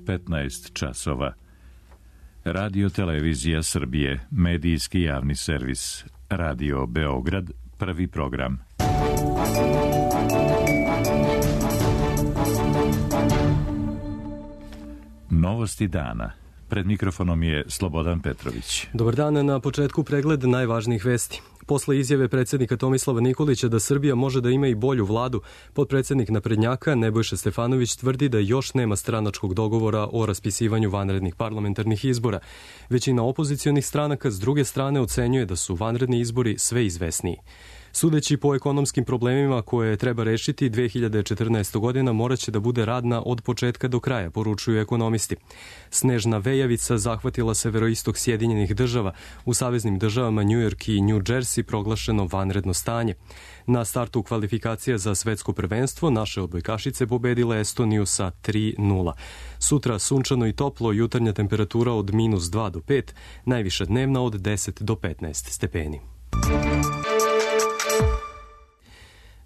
15 časova. Radio Televizija Srbije, medijski javni servis. Radio Beograd, prvi program. Novosti dana. Pred mikrofonom je Slobodan Petrović. Dobar dan, na početku pregled najvažnijih vesti. Posle izjave predsjednika Tomislava Nikolića da Srbija može da ima i bolju vladu, potpredsjednik naprednjaka Nebojša Stefanović tvrdi da još nema stranačkog dogovora o raspisivanju vanrednih parlamentarnih izbora. Većina opozicionih stranaka s druge strane ocenjuje da su vanredni izbori sve izvesniji. Sudeći po ekonomskim problemima koje treba rešiti, 2014. godina moraće da bude radna od početka do kraja, poručuju ekonomisti. Snežna vejavica zahvatila severoistok Sjedinjenih država. U saveznim državama New York i New Jersey proglašeno vanredno stanje. Na startu kvalifikacija za svetsko prvenstvo naše odbojkašice pobedile Estoniju sa 3:0. Sutra sunčano i toplo, jutarnja temperatura od -2 do 5, najviša dnevna od 10 do 15 stepeni.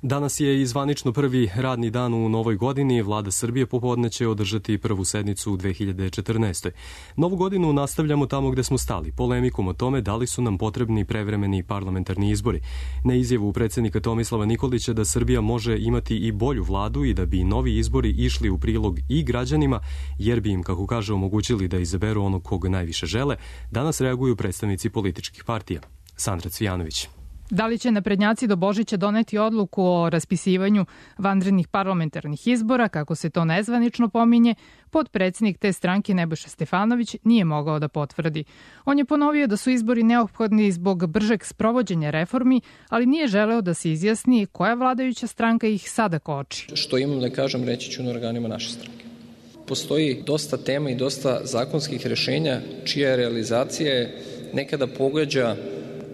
Danas je i zvanično prvi radni dan u novoj godini. Vlada Srbije popodne će održati prvu sednicu u 2014. Novu godinu nastavljamo tamo gde smo stali, polemikom o tome da li su nam potrebni prevremeni parlamentarni izbori. Na izjavu predsjednika Tomislava Nikolića da Srbija može imati i bolju vladu i da bi novi izbori išli u prilog i građanima, jer bi im, kako kaže, omogućili da izaberu onog koga najviše žele, danas reaguju predstavnici političkih partija. Sandra Cvijanović. Da li će naprednjaci do Božića doneti odluku o raspisivanju vanrednih parlamentarnih izbora, kako se to nezvanično pominje, potpredsjednik te stranke Nebojša Stefanović nije mogao da potvrdi. On je ponovio da su izbori neophodni zbog bržeg sprovođenja reformi, ali nije želeo da se izjasni koja vladajuća stranka ih sada koči. Što imam da kažem, reći ću na organima naše stranke. Postoji dosta tema i dosta zakonskih rešenja čija realizacija je nekada pogađa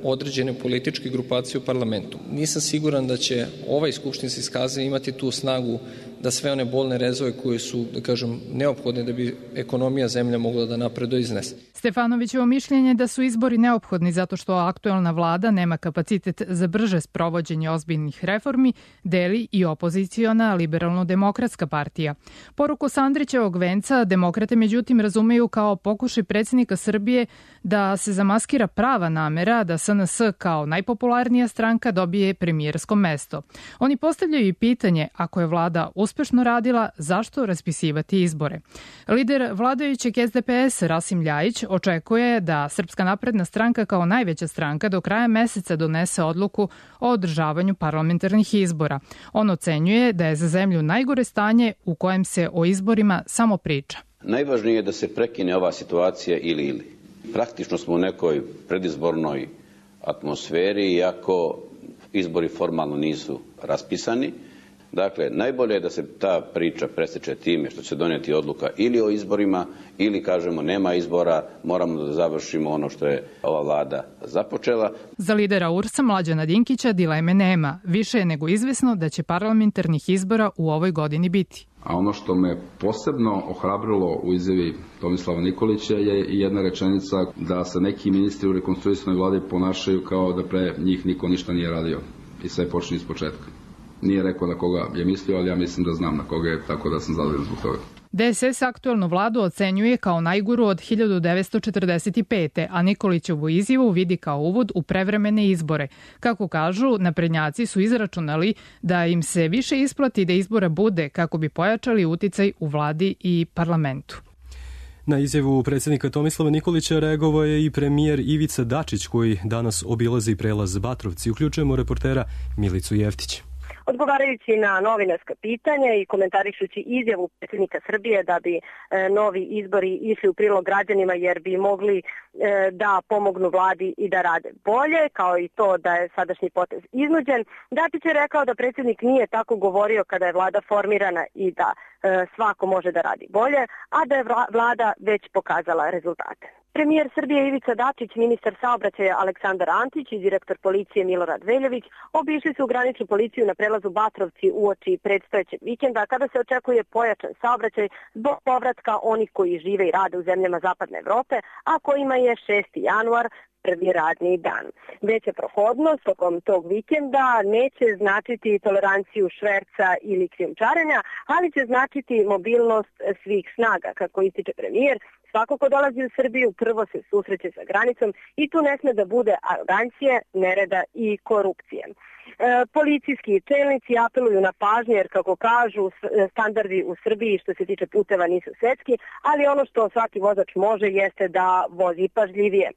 određene političke grupacije u parlamentu. Nisam siguran da će ovaj skupštinski saziv imati tu snagu da sve one bolne rezove koje su, da kažem, neophodne da bi ekonomija zemlje mogla da napreduje iznese. Stefanovićevo mišljenje da su izbori neophodni zato što aktuelna vlada nema kapacitet za brže sprovođenje ozbiljnih reformi deli i opoziciona Liberalno-demokratska partija. Poruku Sandrićevog venca demokrate međutim razumeju kao pokušaj predsjednika Srbije da se zamaskira prava namera da SNS kao najpopularnija stranka dobije premijersko mesto. Oni postavljaju i pitanje, ako je vlada uspešno radila, zašto raspisivati izbore? Lider vladajućeg SDS Rasim Ljajić očekuje da Srpska napredna stranka kao najveća stranka do kraja meseca donese odluku o održavanju parlamentarnih izbora. On ocenjuje da je za zemlju najgore stanje u kojem se o izborima samo priča. Najvažnije je da se prekine ova situacija ili. Praktično smo u nekoj predizbornoj atmosferi, iako izbori formalno nisu raspisani. Dakle, najbolje je da se ta priča preseče time što će donijeti odluka ili o izborima, ili kažemo nema izbora, moramo da završimo ono što je ova vlada započela. Za lidera URS-a Mlađana Dinkića dileme nema. Više je nego izvesno da će parlamentarnih izbora u ovoj godini biti. A ono što me posebno ohrabrilo u izjavi Tomislava Nikolića je i jedna rečenica da se neki ministri u rekonstruisanoj vladi ponašaju kao da pre njih niko ništa nije radio i sve počinje iz početka. Nije rekao na koga je mislio, ali ja mislim da znam na koga je, tako da sam zadovoljan zbog toga. DSS aktuelnu vladu ocenjuje kao najgoru od 1945. a Nikolićevu izjavu vidi kao uvod u prevremene izbore. Kako kažu, naprednjaci su izračunali da im se više isplati da izbora bude kako bi pojačali uticaj u vladi i parlamentu. Na izjavu predsjednika Tomislava Nikolića reagovao je i premijer Ivica Dačić koji danas obilazi prelaz Batrovci. Uključujemo reportera Milicu Jeftić. Odgovarajući na novinarska pitanja i komentarišući izjavu predsjednika Srbije da bi novi izbori išli u prilog građanima jer bi mogli da pomognu vladi i da rade bolje, kao i to da je sadašnji potez iznuđen, Dačić je rekao da predsjednik nije tako govorio kada je vlada formirana i da svako može da radi bolje, a da je vlada već pokazala rezultate. Premijer Srbije Ivica Dačić, ministar saobraćaja Aleksandar Antić i direktor policije Milorad Veljović obišli su graničnu policiju na prelazu Batrovci uoči predstojećeg vikenda kada se očekuje pojačan saobraćaj zbog povratka onih koji žive i rade u zemljama Zapadne Evrope, a kojima je 6. januar prvi radni dan. Veća prohodnost tokom tog vikenda neće značiti toleranciju šverca ili krijumčarenja, ali će značiti mobilnost svih snaga, kako ističe premijer. Svako ko dolazi u Srbiju prvo se susreće sa granicom i tu ne sme da bude arogancije, nereda i korupcije. Policijski čelnici apeluju na pažnju jer, kako kažu, standardi u Srbiji što se tiče puteva nisu svetski, ali ono što svaki vozač može jeste da vozi pažljivije.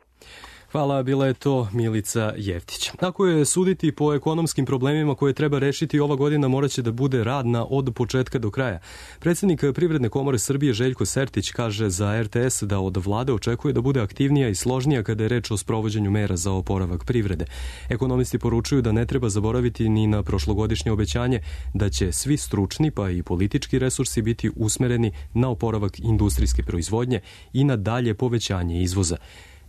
Hvala, bila je to Milica Jeftić. Ako je suditi po ekonomskim problemima koje treba rešiti, ova godina moraće da bude radna od početka do kraja. Predsednik Privredne komore Srbije Željko Sertić kaže za RTS da od vlade očekuje da bude aktivnija i složnija kada je reč o sprovođenju mera za oporavak privrede. Ekonomisti poručuju da ne treba zaboraviti ni na prošlogodišnje obećanje da će svi stručni pa i politički resursi biti usmereni na oporavak industrijske proizvodnje i na dalje povećanje izvoza.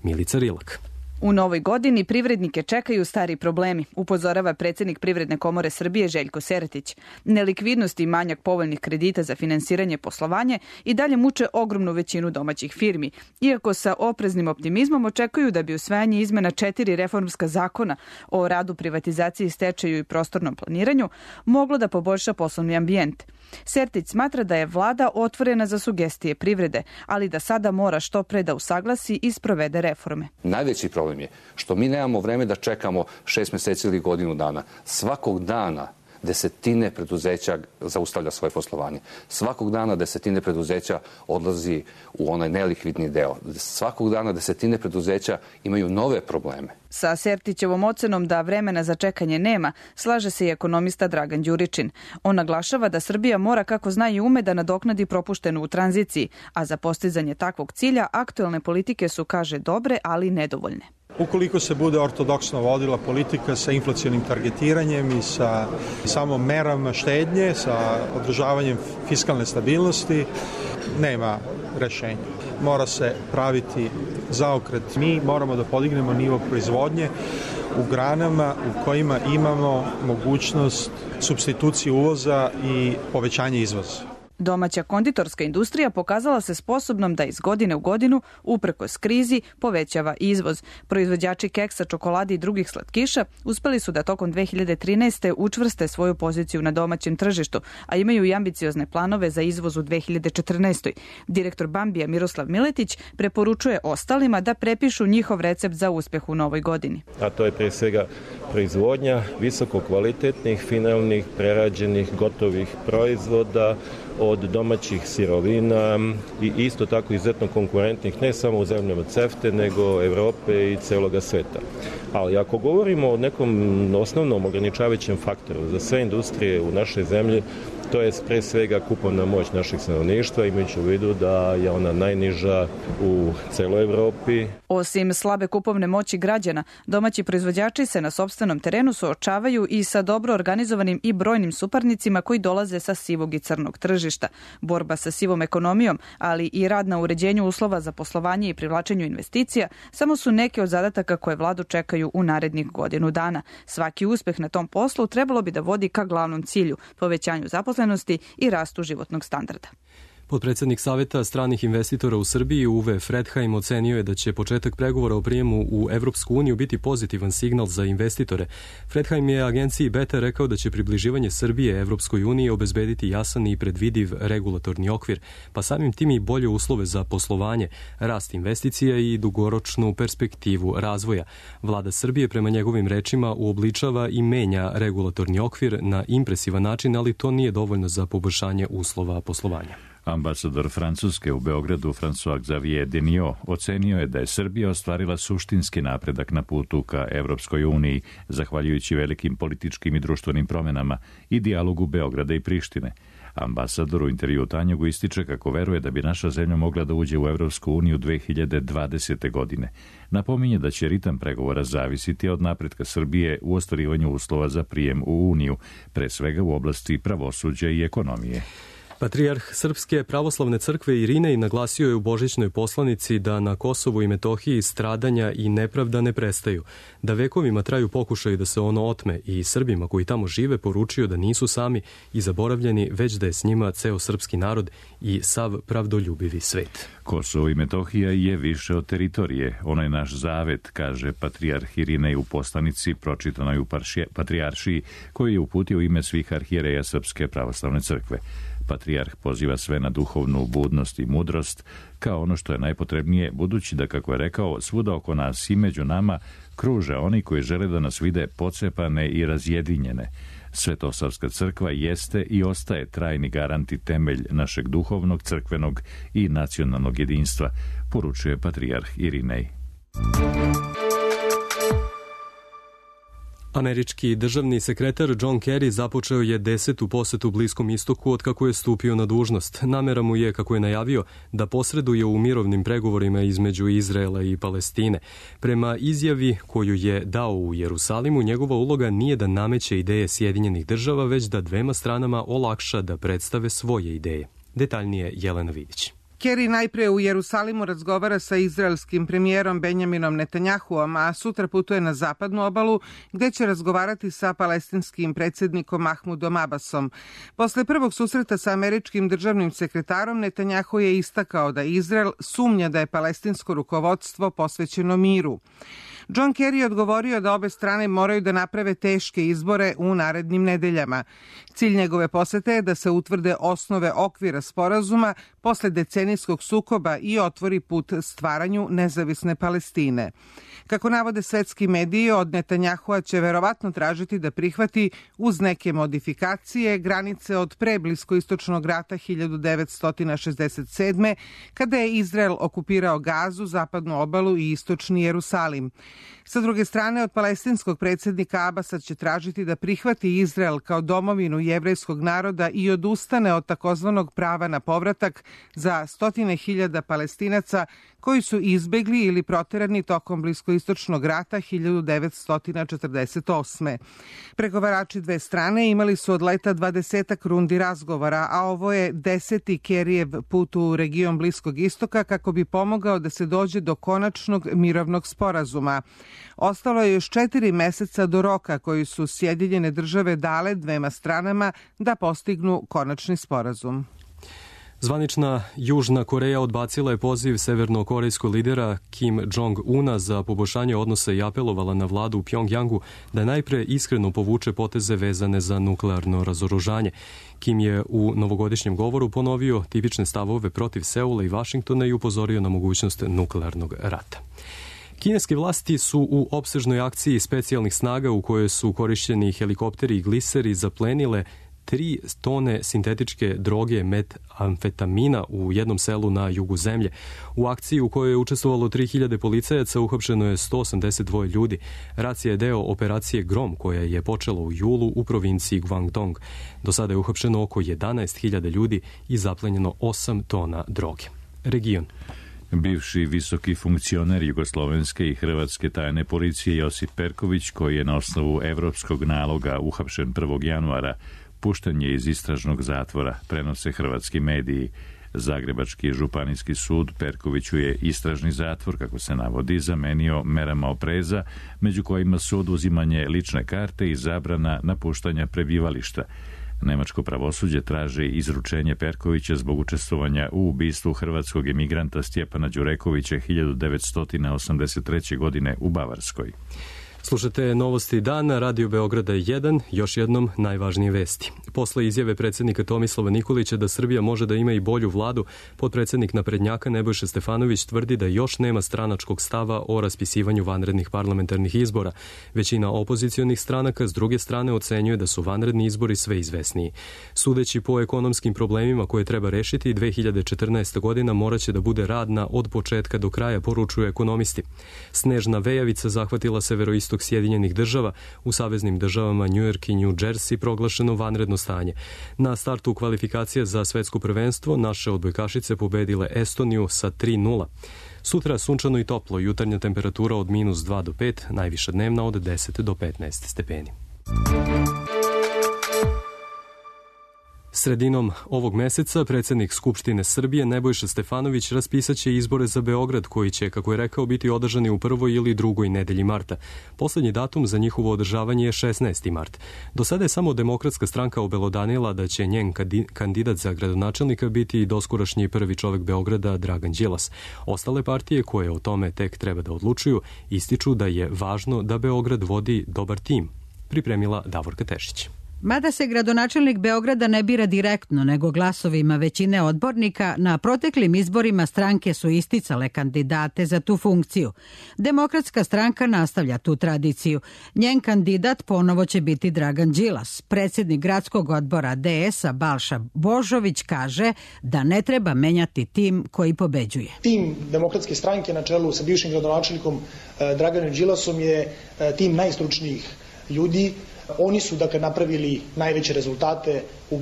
Milica Rilak. U novoj godini privrednike čekaju stari problemi, upozorava predsednik Privredne komore Srbije Željko Sertić. Nelikvidnost i manjak povoljnih kredita za finansiranje poslovanja i dalje muče ogromnu većinu domaćih firmi, iako sa opreznim optimizmom očekuju da bi usvajanje izmena 4 reformska zakona o radu, privatizaciji, stečaju i prostornom planiranju moglo da poboljša poslovni ambijent. Sertić smatra da je vlada otvorena za sugestije privrede, ali da sada mora što pre da usaglasi i sprovede reforme. Najveći problem je što mi nemamo vreme da čekamo 6 meseci ili godinu dana. Svakog dana desetine preduzeća zaustavlja svoje poslovanje. Svakog dana desetine preduzeća odlazi u onaj nelikvidni deo. Svakog dana desetine preduzeća imaju nove probleme. Sa Sertićevom ocenom da vremena za čekanje nema, slaže se i ekonomista Dragan Đuričin. On naglašava da Srbija mora, kako zna i ume, da nadoknadi propuštenu u tranziciji, a za postizanje takvog cilja aktuelne politike su, kaže, dobre, ali nedovoljne. Ukoliko se bude ortodoksno vodila politika sa inflacionim targetiranjem i sa samo merama štednje, sa održavanjem fiskalne stabilnosti, nema rešenja. Mora se praviti zaokret. Mi moramo da podignemo nivo proizvodnje u granama u kojima imamo mogućnost supstitucije uvoza i povećanje izvoza. Domaća konditorska industrija pokazala se sposobnom da iz godine u godinu, uprkos krizi, povećava izvoz. Proizvođači keksa, čokolade i drugih slatkiša uspeli su da tokom 2013. učvrste svoju poziciju na domaćem tržištu, a imaju i ambiciozne planove za izvoz u 2014. Direktor Bambija Miroslav Miletić preporučuje ostalima da prepišu njihov recept za uspeh u novoj godini. A to je pre svega proizvodnja visoko kvalitetnih, finalnih, prerađenih, gotovih proizvoda od domaćih sirovina i isto tako izuzetno konkurentnih ne samo u zemljama CEFTA, nego Evrope i celoga sveta. Ali ako govorimo o nekom osnovnom ograničavajućem faktoru za sve industrije u našoj zemlji, to je pre svega kupovna moć naših stanovništva, imajući u vidu da je ona najniža u celoj Evropi. Osim slabe kupovne moći građana, domaći proizvođači se na sopstvenom terenu suočavaju i sa dobro organizovanim i brojnim suparnicima koji dolaze sa sivog i crnog tržišta. Borba sa sivom ekonomijom, ali i rad na uređenju uslova za poslovanje i privlačenju investicija samo su neke od zadataka koje vladu čekaju u narednih godinu dana. Svaki uspeh na tom poslu trebalo bi da vodi ka glavnom cilju, povećanju zaposlenosti i rastu životnog standarda. Potpredsednik Saveta stranih investitora u Srbiji Uwe Fredheim ocenio je da će početak pregovora o prijemu u Evropsku uniju biti pozitivan signal za investitore. Fredheim je agenciji Beta rekao da će približivanje Srbije Evropskoj uniji obezbediti jasan i predvidiv regulatorni okvir, pa samim tim i bolje uslove za poslovanje, rast investicija i dugoročnu perspektivu razvoja. Vlada Srbije, prema njegovim rečima, uobličava i menja regulatorni okvir na impresivan način, ali to nije dovoljno za poboljšanje uslova poslovanja. Ambasador Francuske u Beogradu François Xavier Deniot ocenio je da je Srbija ostvarila suštinski napredak na putu ka Evropskoj uniji, zahvaljujući velikim političkim i društvenim promenama i dijalogu Beograda i Prištine. Ambasador u intervju Tanjugu ističe kako veruje da bi naša zemlja mogla da uđe u Evropsku uniju 2020. godine. Napominje da će ritam pregovora zavisiti od napretka Srbije u ostvarivanju uslova za prijem u Uniju, pre svega u oblasti pravosuđa i ekonomije. Patrijarh Srpske pravoslavne crkve Irinej naglasio je u božićnoj poslanici da na Kosovu i Metohiji stradanja i nepravda ne prestaju, da vekovima traju pokušaju da se ono otme i Srbima koji tamo žive poručio da nisu sami i zaboravljeni, već da je s njima ceo srpski narod i sav pravdoljubivi svet. Kosovo i Metohija je više od teritorije. Ono je naš zavet, kaže patrijarh Irinej u poslanici pročitanoj u Patrijaršiji, koju je uputio u ime svih arhijereja Srpske pravoslavne crkve. Patrijarh poziva sve na duhovnu budnost i mudrost kao ono što je najpotrebnije, budući da, kako je rekao, svuda oko nas i među nama kruže oni koji žele da nas vide pocepane i razjedinjene. Svetosavska crkva jeste i ostaje trajni garant i temelj našeg duhovnog, crkvenog i nacionalnog jedinstva, poručuje patrijarh Irinej. Američki državni sekretar John Kerry započeo je 10. posetu Bliskom istoku od kako je stupio na dužnost. Namera mu je, kako je najavio, da posreduje u mirovnim pregovorima između Izraela i Palestine. Prema izjavi koju je dao u Jerusalimu, njegova uloga nije da nameće ideje Sjedinjenih država, već da dvema stranama olakša da predstave svoje ideje. Detaljnije Jelena Vidić. Kerry najpre u Jerusalimu razgovara sa izraelskim premijerom Benjaminom Netanjahuom, a sutra putuje na zapadnu obalu gde će razgovarati sa palestinskim predsjednikom Mahmudom Abbasom. Posle prvog susreta sa američkim državnim sekretarom, Netanjahu je istakao da Izrael sumnja da je palestinsko rukovodstvo posvećeno miru. John Kerry je odgovorio da obe strane moraju da naprave teške izbore u narednim nedeljama. Cilj njegove posete je da se utvrde osnove okvira sporazuma posle decenijskog sukoba i otvori put stvaranju nezavisne Palestine. Kako navode svetski mediji, od Netanjahua će verovatno tražiti da prihvati uz neke modifikacije granice od pre Bliskoistočnog rata 1967. kada je Izrael okupirao Gazu, zapadnu obalu i istočni Jerusalim. Sa druge strane, od palestinskog predsjednika Abasa će tražiti da prihvati Izrael kao domovinu jevrejskog naroda i odustane od takozvanog prava na povratak za stotine hiljada Palestinaca koji su izbegli ili proterani tokom Bliskoistočnog rata 1948. Pregovarači dve strane imali su od leta 20 rundi razgovora, a ovo je 10. Kerryjev put u region Bliskog istoka kako bi pomogao da se dođe do konačnog mirovnog sporazuma. Ostalo je još 4 meseca do roka koji su Sjedinjene države dale dvema stranama da postignu konačni sporazum. Zvanična Južna Koreja odbacila je poziv severnokorejskog lidera Kim Jong-una za poboljšanje odnosa i apelovala na vladu u Pjongjangu da najpre iskreno povuče poteze vezane za nuklearno razoružanje. Kim je u novogodišnjem govoru ponovio tipične stavove protiv Seula i Vašingtona i upozorio na mogućnost nuklearnog rata. Kineske vlasti su u opsežnoj akciji specijalnih snaga u kojoj su korišćeni helikopteri i gliseri zaplenile 3 tone sintetičke droge metamfetamina u jednom selu na jugu zemlje. U akciji u kojoj je učestvovalo 3000 policajaca uhapšeno je 182 ljudi. Racija je deo operacije Grom koja je počela u julu u provinciji Guangdong. Do sada je uhapšeno oko 11.000 ljudi i zaplenjeno 8 tona droge. Region. Bivši visoki funkcioner jugoslovenske i hrvatske tajne policije Josip Perković, koji je na osnovu evropskog naloga uhapšen 1. januara, pušten je iz istražnog zatvora, prenose hrvatski mediji. Zagrebački županijski sud Perkoviću je istražni zatvor, kako se navodi, zamenio merama opreza, među kojima su oduzimanje lične karte i zabrana napuštanja prebivališta. Nemačko pravosuđe traži izručenje Perkovića zbog učestvovanja u ubistvu hrvatskog emigranta Stjepana Đurekovića 1983. godine u Bavarskoj. Slušate Novosti dana, Radio Beograda 1, još jednom najvažnije vesti. Posle izjave predsjednika Tomislava Nikolića da Srbija može da ima i bolju vladu, potpredsjednik naprednjaka Nebojša Stefanović tvrdi da još nema stranačkog stava o raspisivanju vanrednih parlamentarnih izbora. Većina opozicionih stranaka s druge strane ocenjuje da su vanredni izbori sve izvesniji. Sudeći po ekonomskim problemima koje treba rešiti, 2014. godina moraće da bude radna od početka do kraja, poručuju ekonomisti. Snežna vejavica zahvatila severoistok Sjedinjenih država, u saveznim državama New York i New Jersey proglašeno vanredno stanje. Na startu kvalifikacije za svetsko prvenstvo naše odbojkašice pobedile Estoniju sa 3:0. Sutra sunčano i toplo, jutarnja temperatura od -2 do 5, najviša dnevna od 10 do 15 stepeni. Sredinom ovog meseca predsjednik Skupštine Srbije Nebojša Stefanović raspisaće izbore za Beograd koji će, kako je rekao, biti održani u prvoj ili drugoj nedelji marta. Poslednji datum za njihovo održavanje je 16. mart. Do sada je samo Demokratska stranka obelodanila da će njen kandidat za gradonačelnika biti doskorašnji prvi čovek Beograda Dragan Đilas. Ostale partije koje o tome tek treba da odlučuju ističu da je važno da Beograd vodi dobar tim. Pripremila Davorka Tešić. Mada se gradonačelnik Beograda ne bira direktno, nego glasovima većine odbornika, na proteklim izborima stranke su isticale kandidate za tu funkciju. Demokratska stranka nastavlja tu tradiciju. Njen kandidat ponovo će biti Dragan Đilas. Predsjednik gradskog odbora DS-a Balša Božović kaže da ne treba menjati tim koji pobeđuje. Tim Demokratske stranke na čelu sa bivšim gradonačelnikom Draganom Đilasom je tim najstručnijih ljudi. Oni su napravili najveće rezultate u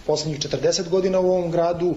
poslednjih 40 godina u ovom gradu.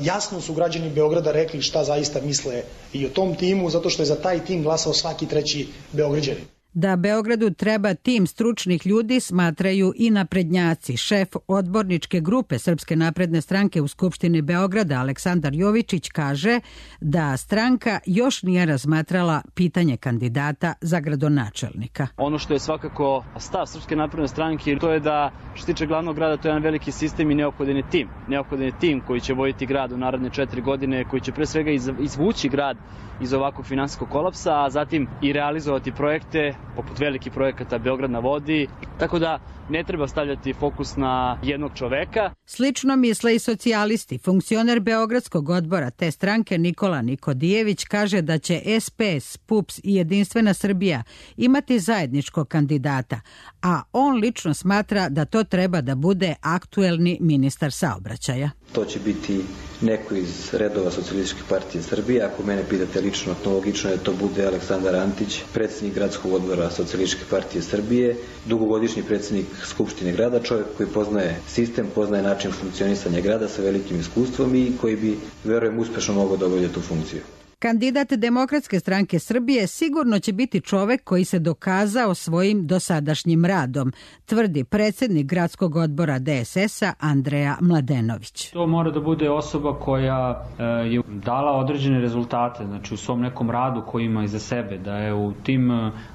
Jasno su građani Beograda rekli šta zaista misle i o tom timu, zato što je za taj tim glasao svaki treći Beograđanin. Da Beogradu treba tim stručnih ljudi smatraju i naprednjaci. Šef odborničke grupe Srpske napredne stranke u Skupštini Beograda Aleksandar Jovičić kaže da stranka još nije razmatrala pitanje kandidata za gradonačelnika. Ono što je svakako stav Srpske napredne stranke, to je da što se tiče glavnog grada, to je jedan veliki sistem i neophodan je tim. Neophodan je tim koji će voditi grad u naredne 4 godine, koji će pre svega izvući grad iz ovakvog finansijskog kolapsa, a zatim i realizovati projekte poput velikih projekata Beograd na vodi, tako da ne treba stavljati fokus na jednog čoveka. Slično misle i socijalisti. Funkcioner Beogradskog odbora te stranke Nikola Nikodijević kaže da će SPS, PUPS i Jedinstvena Srbija imati zajedničkog kandidata, a on lično smatra da to treba da bude aktuelni ministar saobraćaja. To će biti neko iz redova Socijalističke partije Srbije. Ako mene pitate lično, to logično je da to bude Aleksandar Antić, predsjednik gradskog odbora Socijalističke partije Srbije, dugogodišnji predsjednik Skupštine grada, čovjek koji poznaje sistem, poznaje način funkcionisanja grada sa velikim iskustvom i koji bi, verujem, uspešno mogao da obavlja tu funkciju. Kandidat Demokratske stranke Srbije sigurno će biti čovek koji se dokazao svojim dosadašnjim radom, tvrdi predsjednik gradskog odbora DSS-a Andreja Mladenović. To mora da bude osoba koja je dala određene rezultate, znači u svom nekom radu koji ima iza sebe, da je u tim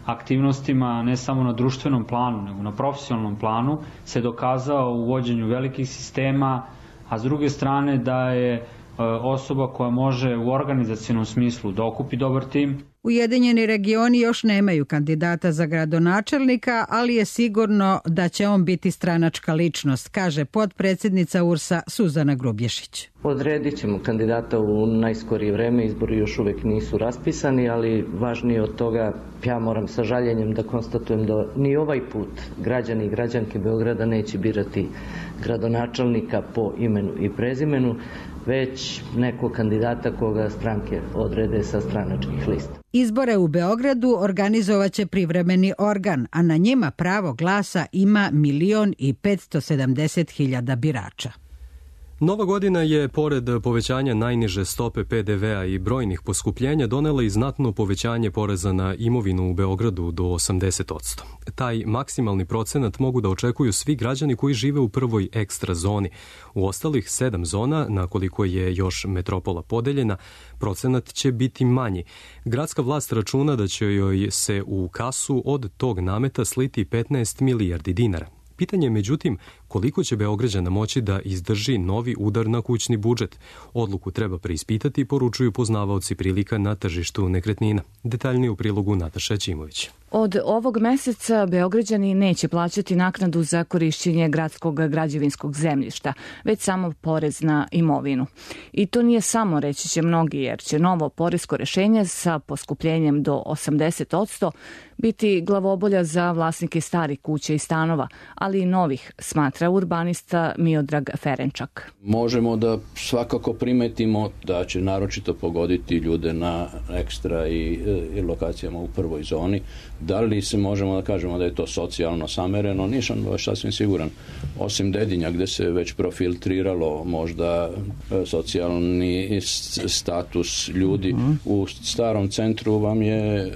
aktivnostima ne samo na društvenom planu, nego na profesionalnom planu se dokazao u vođenju velikih sistema, a s druge strane da je osoba koja može u organizacionom smislu da okupi dobar tim. Ujedinjeni regioni još nemaju kandidata za gradonačelnika, ali je sigurno da će on biti stranačka ličnost, kaže potpredsjednica URS-a Suzana Grubješić. Odredit ćemo kandidata u najskorije vreme, izbori još uvek nisu raspisani, ali važnije od toga, ja moram sa žaljenjem da konstatujem da ni ovaj put građani i građanke Beograda neće birati gradonačelnika po imenu i prezimenu, već nekog kandidata koga stranke odrede sa stranačkih lista. Izbore u Beogradu organizovaće privremeni organ, a na njima pravo glasa ima 1.570.000 birača. Nova godina je, pored povećanja najniže stope PDV-a i brojnih poskupljenja, donela i znatno povećanje poreza na imovinu u Beogradu do 80%. Taj maksimalni procenat mogu da očekuju svi građani koji žive u prvoj ekstra zoni. U ostalih 7 zona, na koliko je još metropola podeljena, procenat će biti manji. Gradska vlast računa da će joj se u kasu od tog nameta sliti 15 milijardi dinara. Pitanje je, međutim, koliko će Beograđana moći da izdrži novi udar na kućni budžet. Odluku treba preispitati, poručuju poznavaoci prilika na tržištu nekretnina. Detaljnije u prilogu Nataša Ćimović. Od ovog meseca Beograđani neće plaćati naknadu za korišćenje gradskog građevinskog zemljišta, već samo porez na imovinu. I to nije samo, reći će mnogi, jer će novo poresko rešenje sa poskupljenjem do 80% biti glavobolja za vlasnike starih kuća i stanova, ali i novih, smatra urbanista Miodrag Ferenčak. Možemo da svakako primetimo da će naročito pogoditi ljude na ekstra i lokacijama u prvoj zoni. Da li se možemo da kažemo da je to socijalno samereno? Nisam baš sasvim siguran. Osim Dedinja, gde se već profiltriralo možda socijalni status ljudi, u starom centru vam je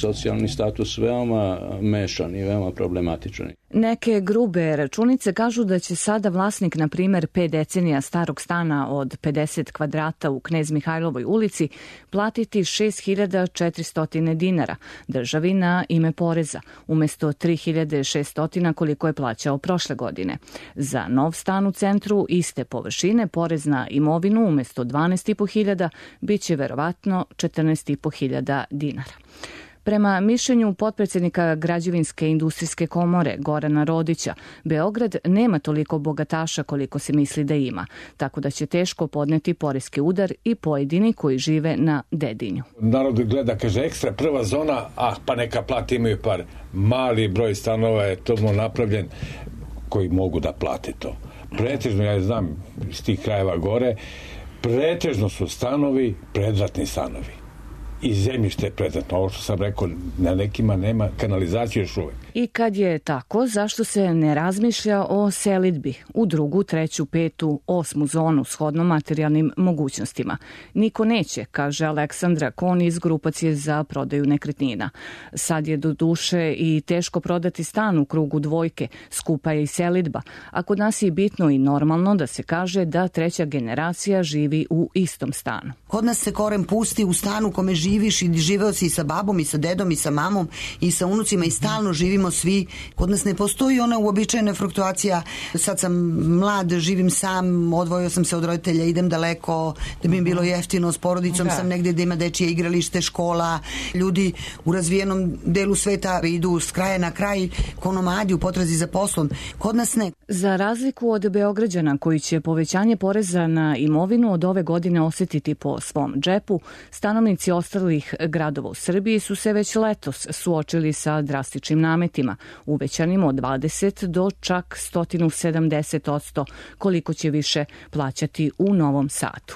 socijalni status veoma mešan i veoma problematičan. Neke grube računice kažu da će sada vlasnik, na primer, 5 decenija starog stana od 50 kvadrata u Knez Mihajlovoj ulici platiti 6.400 dinara državi na ime poreza, umesto 3.600 koliko je plaćao prošle godine. Za nov stan u centru iste površine porez na imovinu umesto 12.500 bit će verovatno 14.500 dinara. Prema mišljenju potpredsjednika Građevinske industrijske komore Gorana Rodića, Beograd nema toliko bogataša koliko se misli da ima, tako da će teško podneti poreski udar i pojedini koji žive na Dedinju. Narod gleda, kaže, ekstra prva zona, pa neka plati, imaju par. Mali broj stanova je tomu napravljen koji mogu da plate to. Pretežno, ja znam iz tih krajeva gore, pretežno su stanovi, predratni stanovi. I zemljište je predratno. Ovo što sam rekao, na nekima nema kanalizacije još uvek. I kad je tako, zašto se ne razmišlja o selidbi u 2., 3., 5., 8. zonu shodno materijalnim mogućnostima? Niko neće, kaže Aleksandra Kon iz grupacije za prodaju nekretnina. Sad je do duše i teško prodati stan u krugu 2, skupa je i selidba, a kod nas je bitno i normalno da se kaže da 3. generacija živi u istom stanu. Kod nas se koren pusti u stanu kome živiš i živeo si i sa babom i sa dedom i sa mamom i sa unucima i stalno živimo svi. Kod nas ne postoji ona uobičajena fluktuacija. Sad sam mlad, živim sam, odvojio sam se od roditelja, idem daleko, da bi mi bilo jeftino, s porodicom sam negdje da ima dečije igralište, škola. Ljudi u razvijenom delu sveta idu s kraja na kraj ko nomadi u potrazi za poslom. Kod nas ne. Za razliku od Beograđana koji će povećanje poreza na imovinu od ove godine osjetiti po svom džepu, stanovnici ostalih gradova u Srbiji su se već letos suočili sa drastičnim nametima, uvećanim od 20 do čak 170% koliko će više plaćati u Novom Sadu.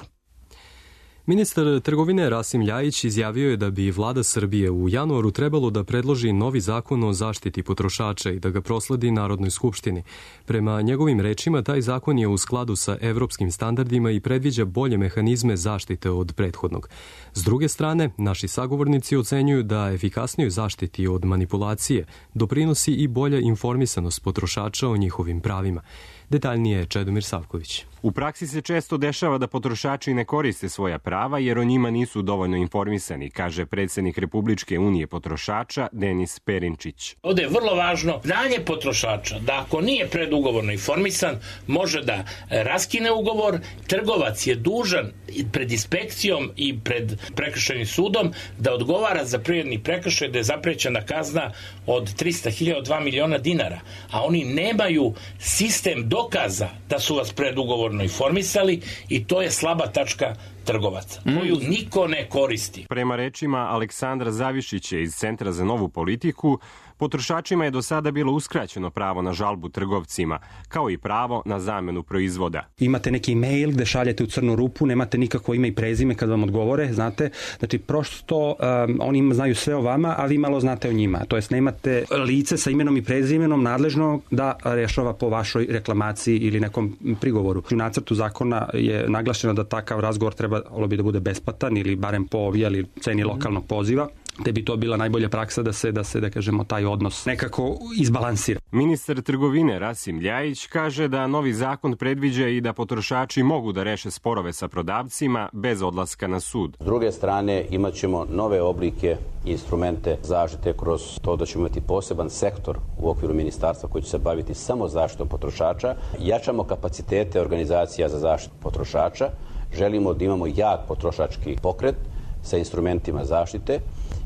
Ministar trgovine Rasim Ljajić izjavio je da bi vlada Srbije u januaru trebalo da predloži novi zakon o zaštiti potrošača i da ga prosledi Narodnoj skupštini. Prema njegovim rečima, taj zakon je u skladu sa evropskim standardima i predviđa bolje mehanizme zaštite od prethodnog. S druge strane, naši sagovornici ocenjuju da efikasnijoj zaštiti od manipulacije doprinosi i bolja informisanost potrošača o njihovim pravima. Detaljnije je Čedomir Savković. U praksi se često dešava da potrošači ne koriste svoja prava jer o njima nisu dovoljno informisani, kaže predsjednik Republičke unije potrošača Denis Perinčić. Ovdje je vrlo važno znanje potrošača da ako nije predugovorno informisan može da raskine ugovor. Trgovac je dužan pred inspekcijom i pred prekršajnim sudom da odgovara za privredni prekršaj, da je zaprećena kazna od 300.000 od 2 miliona dinara, a oni nemaju sistem dokaza da su vas predugovorno informisali i to je slaba tačka trgovaca, koju niko ne koristi. Prema rečima Aleksandra Zavišića iz Centra za novu politiku, potrošačima je do sada bilo uskraćeno pravo na žalbu trgovcima, kao i pravo na zamenu proizvoda. Imate neki mail gde šaljete u crnu rupu, nemate nikakvo ime i prezime kad vam odgovore, znate, znači prosto oni znaju sve o vama, a vi malo znate o njima. To jest nemate lice sa imenom i prezimenom nadležno da rešava po vašoj reklamaciji ili nekom prigovoru. U nacrtu zakona je naglašeno da takav razgovor trebalo bi da bude besplatan ili barem po ovijali ceni lokalnog poziva, te bi to bila najbolja praksa da se da kažemo taj odnos nekako izbalansira. Ministar trgovine Rasim Ljajić kaže da novi zakon predviđa i da potrošači mogu da reše sporove sa prodavcima bez odlaska na sud. S druge strane imat ćemo nove oblike i instrumente zaštite kroz to da ćemo imati poseban sektor u okviru ministarstva koji će se baviti samo zaštitom potrošača. Jačamo kapacitete organizacija za zaštitu potrošača. Želimo da imamo jak potrošački pokret sa instrumentima zaštite.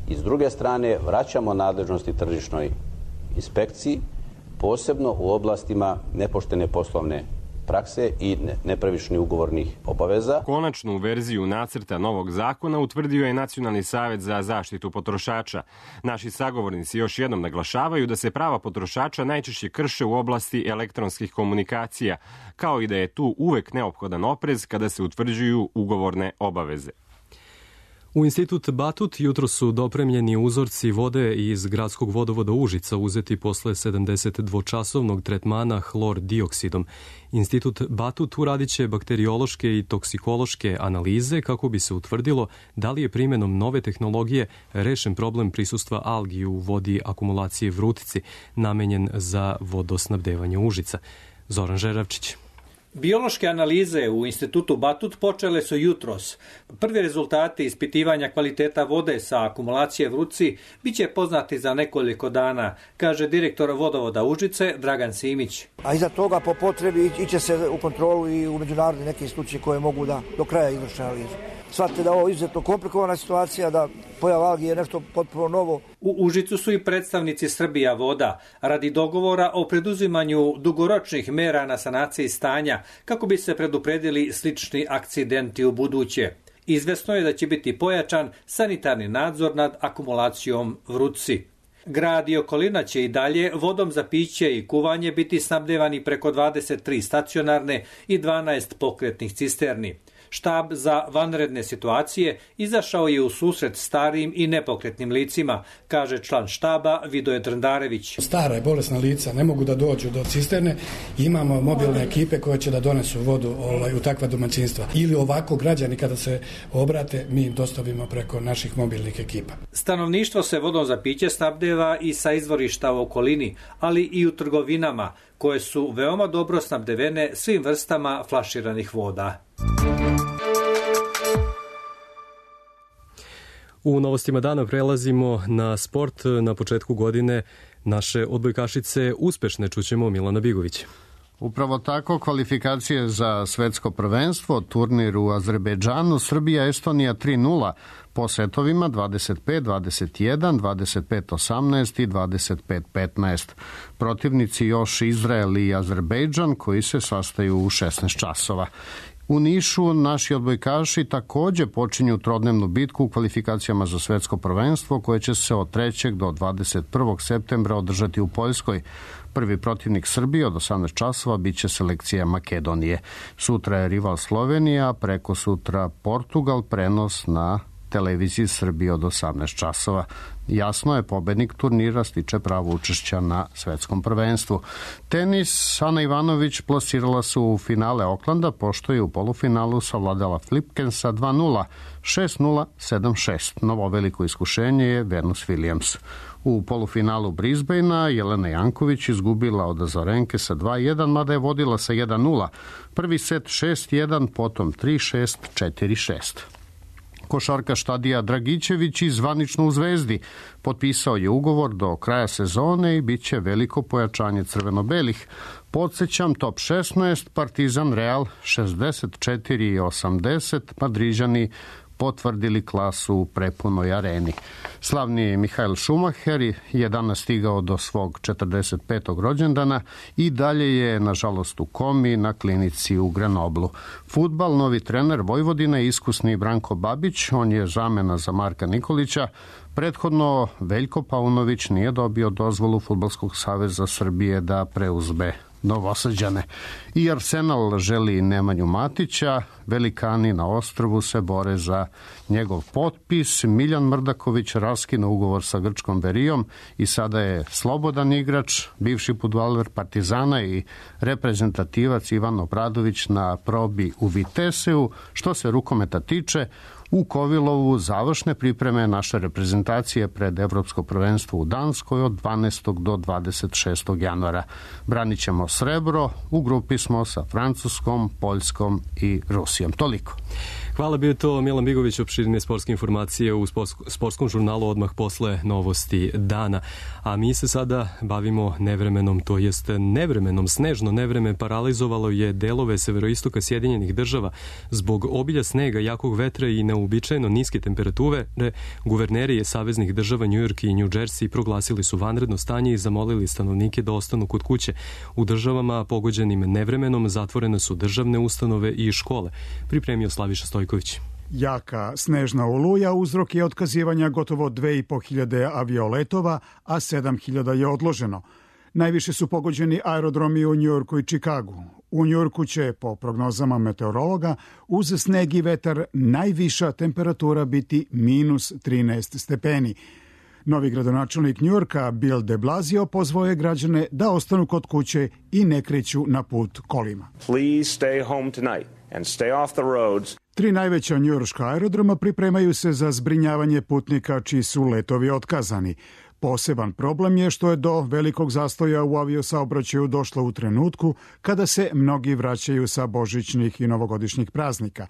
I s druge strane vraćamo nadležnosti tržišnoj inspekciji, posebno u oblastima nepoštene poslovne prakse i nepravičnih ugovornih obaveza. Konačnu verziju nacrta novog zakona utvrdio je Nacionalni savet za zaštitu potrošača. Naši sagovornici još jednom naglašavaju da se prava potrošača najčešće krše u oblasti elektronskih komunikacija, kao i da je tu uvek neophodan oprez kada se utvrđuju ugovorne obaveze. U institut Batut jutro su dopremljeni uzorci vode iz gradskog vodovoda Užica uzeti posle 72-časovnog tretmana hlor dioksidom. Institut Batut uradit će bakteriološke i toksikološke analize kako bi se utvrdilo da li je primenom nove tehnologije rešen problem prisustva algi u vodi akumulacije Vrutici, namenjen za vodosnabdevanje Užica. Zoran Žeravčić. Biološke analize u institutu Batut počele su jutros. Prvi rezultati ispitivanja kvaliteta vode sa akumulacije Vrutci biće poznati za nekoliko dana, kaže direktor vodovoda Užice Dragan Simić. A iza toga po potrebi iće se u kontrolu i u međunarodne neke institucije koje mogu da do kraja izvrše analizu. Shvatite da ovo je izuzetno komplikovana situacija, da pojava algi je nešto potpuno novo. U Užicu su i predstavnici Srbija voda radi dogovora o preduzimanju dugoročnih mera na sanaciji stanja kako bi se predupredili slični akcidenti u buduće. Izvesno je da će biti pojačan sanitarni nadzor nad akumulacijom Vrutci. Grad i okolina će i dalje vodom za piće i kuvanje biti snabdevani preko 23 stacionarne i 12 pokretnih cisterni. Štab za vanredne situacije izašao je u susret starim i nepokretnim licima, kaže član štaba Vidoje Drndarević. Stara i bolesna lica ne mogu da dođu do cisterne, imamo mobilne ekipe koje će da donesu vodu u takva domaćinstva. Ili ovako građani kada se obrate, mi im dostavimo preko naših mobilnih ekipa. Stanovništvo se vodom za piće snabdeva i sa izvorišta u okolini, ali i u trgovinama, koje su veoma dobro snabdevene svim vrstama flaširanih voda. U novostima dana prelazimo na sport. Na početku godine naše odbojkašice uspešne, čućemo Milana Bigović. Upravo tako, kvalifikacije za svetsko prvenstvo, turnir u Azerbejdžanu, Srbija-Estonija 3:0 po setovima 25-21, 25-18 i 25-15. Protivnici još Izrael i Azerbejdžan koji se sastaju u 16 časova. U Nišu naši odbojkaši takođe počinju trodnevnu bitku u kvalifikacijama za svetsko prvenstvo koje će se od 3. do 21. septembra održati u Poljskoj. Prvi protivnik Srbije od 18 časova biće selekcija Makedonije. Sutra je rival Slovenija, preko sutra Portugal, prenos na televiziji Srbije od 18 časova. Jasno je, pobednik turnira stiče pravo učešća na svetskom prvenstvu. Tenis, Ana Ivanović plasirala se u finale Oklanda, pošto je u polufinalu savladala Flipkensa 2:0, 6:0, 7:6. Novo veliko iskušenje je Venus Williams. U polufinalu Brisbanea Jelena Janković izgubila od Azarenke sa 2:1, mada je vodila sa 1:0. Prvi set 6:1, potom 3:6, 4:6. Košarkaš Tadija Dragićević i zvanično u Zvezdi potpisao je ugovor do kraja sezone i bit će veliko pojačanje crveno-belih. Podsećam, top 16, Partizan Real 64-80, Madriđani potvrdili klasu u prepunoj areni. Slavni Mihael Schumacher je danas stigao do svog 45. rođendana i dalje je, nažalost, u komi na klinici u Grenoblu. Fudbal, novi trener Vojvodina je iskusni Branko Babić, on je zamena za Marka Nikolića. Prethodno Veljko Paunović nije dobio dozvolu Fudbalskog saveza Srbije da preuzme Novosađane. I Arsenal želi Nemanju Matića, velikani na ostrvu se bore za njegov potpis. Miljan Mrdaković raskinuo ugovor sa grčkom Berijom i sada je slobodan igrač, bivši fudbaler Partizana i reprezentativac Ivan Obradović na probi u Viteseu. Što se rukometa tiče, u Kovilovu završne pripreme naše reprezentacije pred Evropsko prvenstvo u Danskoj od 12. do 26. januara. Branit ćemo srebro, u grupi smo sa Francuskom, Poljskom i Rusijom. Toliko. Hvala, bio to Milan Bigović, opširne sportske informacije u sportskom žurnalu odmah posle novosti dana. A mi se sada bavimo nevremenom, to jest nevremenom. Snežno nevreme paralizovalo je delove severoistoka Sjedinjenih država. Zbog obilja snega, jakog vetra i neuobičajeno niske temperature, guverneri saveznih država New York i New Jersey proglasili su vanredno stanje i zamolili stanovnike da ostanu kod kuće. U državama pogođenim nevremenom zatvorene su državne ustanove i škole. Pripremio Slaviša Stojković. Jaka snežna oluja uzrok je otkazivanja gotovo 2500 avioletova, a 7000 je odloženo. Najviše su pogođeni aerodromi u Njujorku i Čikagu. U Njujorku će, po prognozama meteorologa, uz sneg i vetar najviša temperatura biti minus 13 stepeni. Novi gradonačelnik Njujorka, Bill de Blasio, pozvao je građane da ostanu kod kuće i ne kreću na put kolima. Please stay home tonight and stay off the roads. 3 najveća njujorška aerodroma pripremaju se za zbrinjavanje putnika čiji su letovi otkazani. Poseban problem je što je do velikog zastoja u aviosaobraćaju došlo u trenutku kada se mnogi vraćaju sa božićnih i novogodišnjih praznika.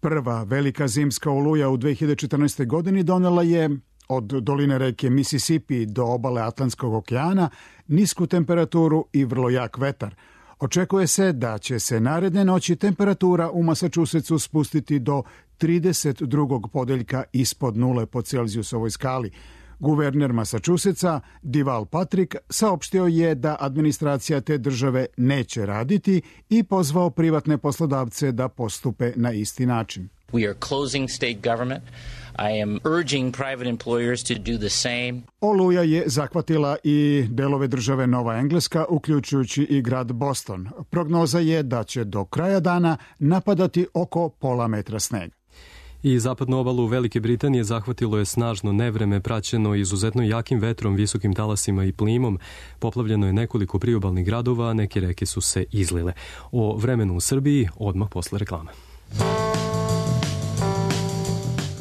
Prva velika zimska oluja u 2014. godini donela je od doline reke Mississippi do obale Atlantskog okeana nisku temperaturu i vrlo jak vetar. Očekuje se da će se naredne noći temperatura u Massachusettsu spustiti do 32. podeljka ispod nule po Celzijusovoj skali. Guverner Massachusettsa, Deval Patrick, saopštio je da administracija te države neće raditi i pozvao privatne poslodavce da postupe na isti način. We are closing state government. I am urging private employers to do the same. Oluja je zahvatila i delove države Nova Engleska, uključujući i grad Boston. Prognoza je da će do kraja dana napadati oko pola metra snega. I zapadnu obalu Velike Britanije zahvatilo je snažno nevreme praćeno izuzetno jakim vetrom, visokim talasima i plimom. Poplavljeno je nekoliko priobalnih gradova, a neke reke su se izlile. O vremenu u Srbiji odmah posle reklame.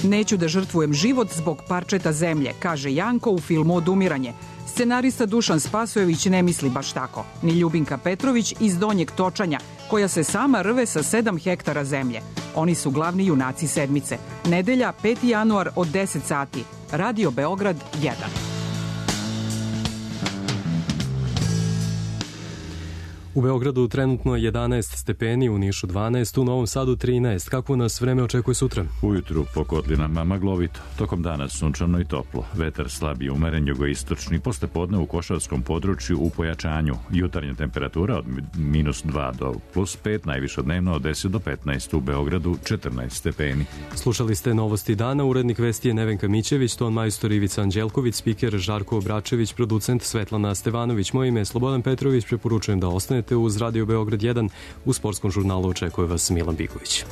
Neću da žrtvujem život zbog parčeta zemlje, kaže Janko u filmu Odumiranje. Scenarista Dušan Spasojević ne misli baš tako. Ni Ljubinka Petrović iz Donjeg Točanja, koja se sama rve sa 7 hektara zemlje. Oni su glavni junaci sedmice. Nedelja, 5. januar od 10 sati. Radio Beograd 1. U Beogradu trenutno 11 stepeni, u Nišu 12, u Novom Sadu 13. Kako nas vreme očekuje sutra? Ujutru po kotlinama maglovito, tokom dana sunčano i toplo. Vetar slab i umeren jugoistočni, posle podne u Košavskom području u pojačanju. Jutarnja temperatura od minus 2 do plus 5, najviše dnevno od 10 do 15, u Beogradu 14 stepeni. Slušali ste Novosti dana, urednik vesti je Nevenka Mićević, ton majstor Ivica Anđelković, spiker Žarko Obračević, producent Svetlana Stevanović. Moje ime je Slobodan Petrović, preporučujem da ostanete uz Radio Beograd 1. U sportskom žurnalu očekuje vas Milan Biković.